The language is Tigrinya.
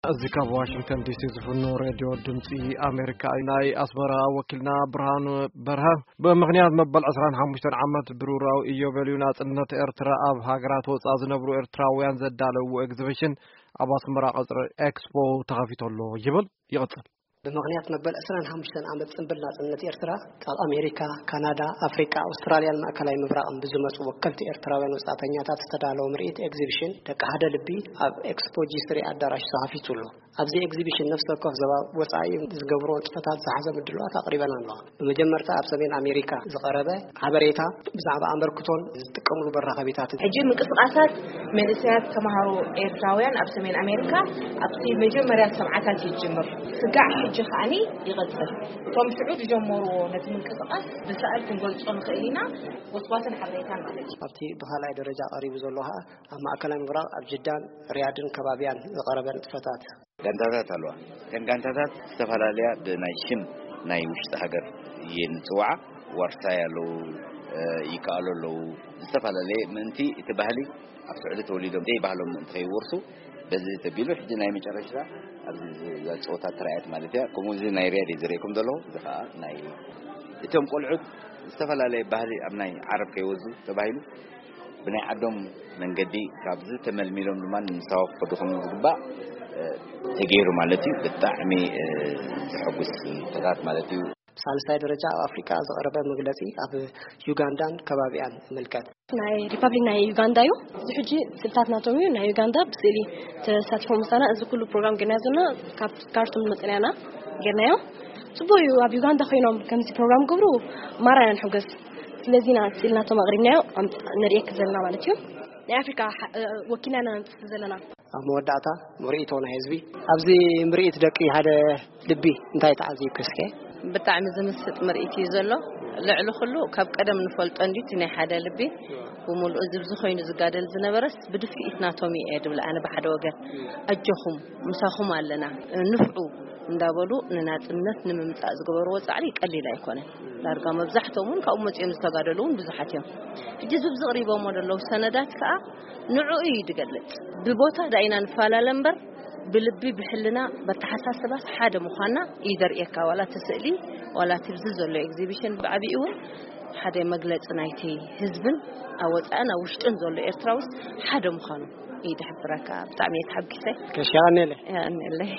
እዚ ካብ ዋሽንግተን ዲሲ ዝፍኖ ሬድዮ ድምፂ ኣሜሪካ እዩ። ናይ ኣስመራ ወኪልና ብርሃኑ በርሀ፣ ብምኽንያት መበል ዕስራን ሓሙሽተን ዓመት ብሩራዊ ኢዮቤልዩ ናጽነት ኤርትራ፣ ኣብ ሃገራት ወጻኢ ዝነብሩ ኤርትራውያን ዘዳለውዎ ኤግዚቢሽን ኣብ ኣስመራ ቀጽሪ ኤክስፖ ተኸፊቱ ኣሎ ይብል። ይቕጽል። ብምኽንያት መበል ዕስራን ሓሙሽተን ዓመት ጽንብል ናጽነት ኤርትራ፣ ካብ ኣሜሪካ፣ ካናዳ፣ ኣፍሪቃ፣ ኣውስትራልያን ማእከላይ ምብራቕን ብዝመጹ ወከልቲ ኤርትራውያን ወጻእተኛታት ዝተዳለወ ምርኢት ኤግዚቢሽን ደቂ ሓደ ልቢ ኣብ ኤክስፖ ጂ ስሪ ኣዳራሽ ተኸፊቱ ኣሎ። ኣብዚ ኤግዚቢሽን ነፍሲ ወከፍ ዞባ ወጻኢ ዝገብሮ ንጥፈታት ዝሓዘ ምድላዋት ኣቕሪበን ኣለዋ። ብመጀመርታ ኣብ ሰሜን ኣሜሪካ ዝቐረበ ሓበሬታ ብዛዕባ ኣመርክቶን ዝጥቀምሉ መራኸቢታትን። ሕጂ ምንቅስቓሳት መንእሰያት ተምሃሮ ኤርትራውያን ኣብ ሰሜን ኣሜሪካ ኣብቲ መጀመርያ ሰብዓታት ይጅምር። ስጋዕ ሕጂ ከዓኒ ይቐጽል። እቶም ሽዑ ዝጀመርዎ ነቲ ምንቅስቓስ ብስዕል ክንገልጾ ንኽእል ኢና። ጎስጓስን ሓበሬታን ማለት እዩ። ኣብቲ ብኻልኣይ ደረጃ ቀሪቡ ዘሎ ኸኣ ኣብ ማእከላይ ምብራቕ ኣብ ጅዳን ሪያድን ከባቢያን ዝቐረበ ንጥፈታት። ጋንታታት ኣለዋ። እተን ጋንታታት ዝተፈላለያ ብናይ ሽም ናይ ውሽጢ ሃገር እየን ዝጽውዓ። ዋርሳይ ኣለዉ፣ እ፣ ይከኣሉ ኣለዉ። ዝተፈላለየ ምእንቲ እቲ ባህሊ ኣብ ስዑዲ ተወሊዶም ዘይባህሎም ምእንቲ ከይወርሱ በዚ ተቢሉ ሕጂ ናይ መጨረሽታ ኣብዚ ዝ-፣ ዛ ጸወታ ተራእየት ማለት እያ። ከምኡ እዚ ናይ ሪያድ እዩ ዝርእየኩም ዘለኹ። እዚ ኸኣ ናይ እቶም ቆልዑት ዝተፈላለየ ባህሊ ኣብ ናይ ዓረብ ከይወዙ ተባሂሉ ብናይ ዓዶም መንገዲ ካብዚ ተመልሚሎም ድማ ንምሳዋ ክኸዱ ከም ዝግባእ፣ እ፣ ተገይሩ ማለት እዩ። ብጣዕሚ፣ እ፣ ዘሐጉስ ንጥፈታት ማለት እዩ። ሳልሳይ ደረጃ ኣብ ኣፍሪቃ ዝቐረበ መግለጺ ኣብ ዩጋንዳን ከባቢኣን ይምልከት። ናይ ሪፐብሊክ ናይ ዩጋንዳ እዩ። እዚ ሕጂ ስእልታት ናቶም እዩ። ናይ ዩጋንዳ ብስእሊ ተሳቲፎም ምሳና እዚ ኩሉ ፕሮግራም ገይርናዮ ዘለና ካብ ካርቱም መጸናና ገይርናዮ። ጽቡቅ እዩ። ኣብ ዩጋንዳ ኮይኖም ከምዚ ፕሮግራም ገብሩ ማራ ኢና ንሕጎስ። ስለዚ ኢና ስእሊ ናቶም ኣቕሪብናዮ ኣምጽ-፣ ነርእየኪ ዘለና ማለት እዩ። ናይ ኣፍሪካ ሓ-፣ እ፣ ወኪልና ኢና ነምጽእ ዘለና። ኣብ መወዳእታ ምርኢቶ ናይ ህዝቢ። ኣብዚ ምርኢት ደቂ ሓደ ልቢ እንታይ ተዓዚብኪ እስከ? ብጣዕሚ ዝምስጥ ምርኢት እዩ ዘሎ። ልዕሊ ኩሉ ካብ ቀደም ንፈልጦ እንድዩ እቲ ናይ ሓደ ልቢ ብምሉኡ እዚ ብዝኾይኑ ዝጋደል ዝነበረስ ብድፍኢት ናቶም እየ ድብል ኣነ ብሓደ ወገን። ኣጆኹም ምሳኹም ኣለና፣ ንፍዑ እንዳበሉ ንናጽነት ንምምጻእ ዝገበርዎ ጻዕሪ ቀሊል ኣይኮነን። ዳርጋ መብዛሕትኦም እውን ካብኡ መጺኦም ዝተጋደሉ እውን ብዙሓት እዮም። ሕጂ ዝብ ዝቕሪቦሞ ዘለዉ ሰነዳት ከኣ ንዕኡ እዩ ዝገልጽ። ብቦታ ዳኢና ንፈላለ እምበር ብልቢ ብሕልና በተሓሳስባስ ሓደ ምዃንና እዩ ዘርእየካ። ዋላ እቲ ስእሊ ዋላ እቲ ብዚ ዘሎ ኤግዚቢሽን ብዓቢኡ እውን ሓደ መግለጺ ናይቲ ህዝብን ኣብ ወጻእን ኣብ ውሽጥን ዘሎ ኤርትራውስ ሓደ ምዃኑ እዩ ዝሕብረካ። ብጣዕሚ እየ ተሓጒሰ። ከሽ የቐንየለይ። የቐንየለይ።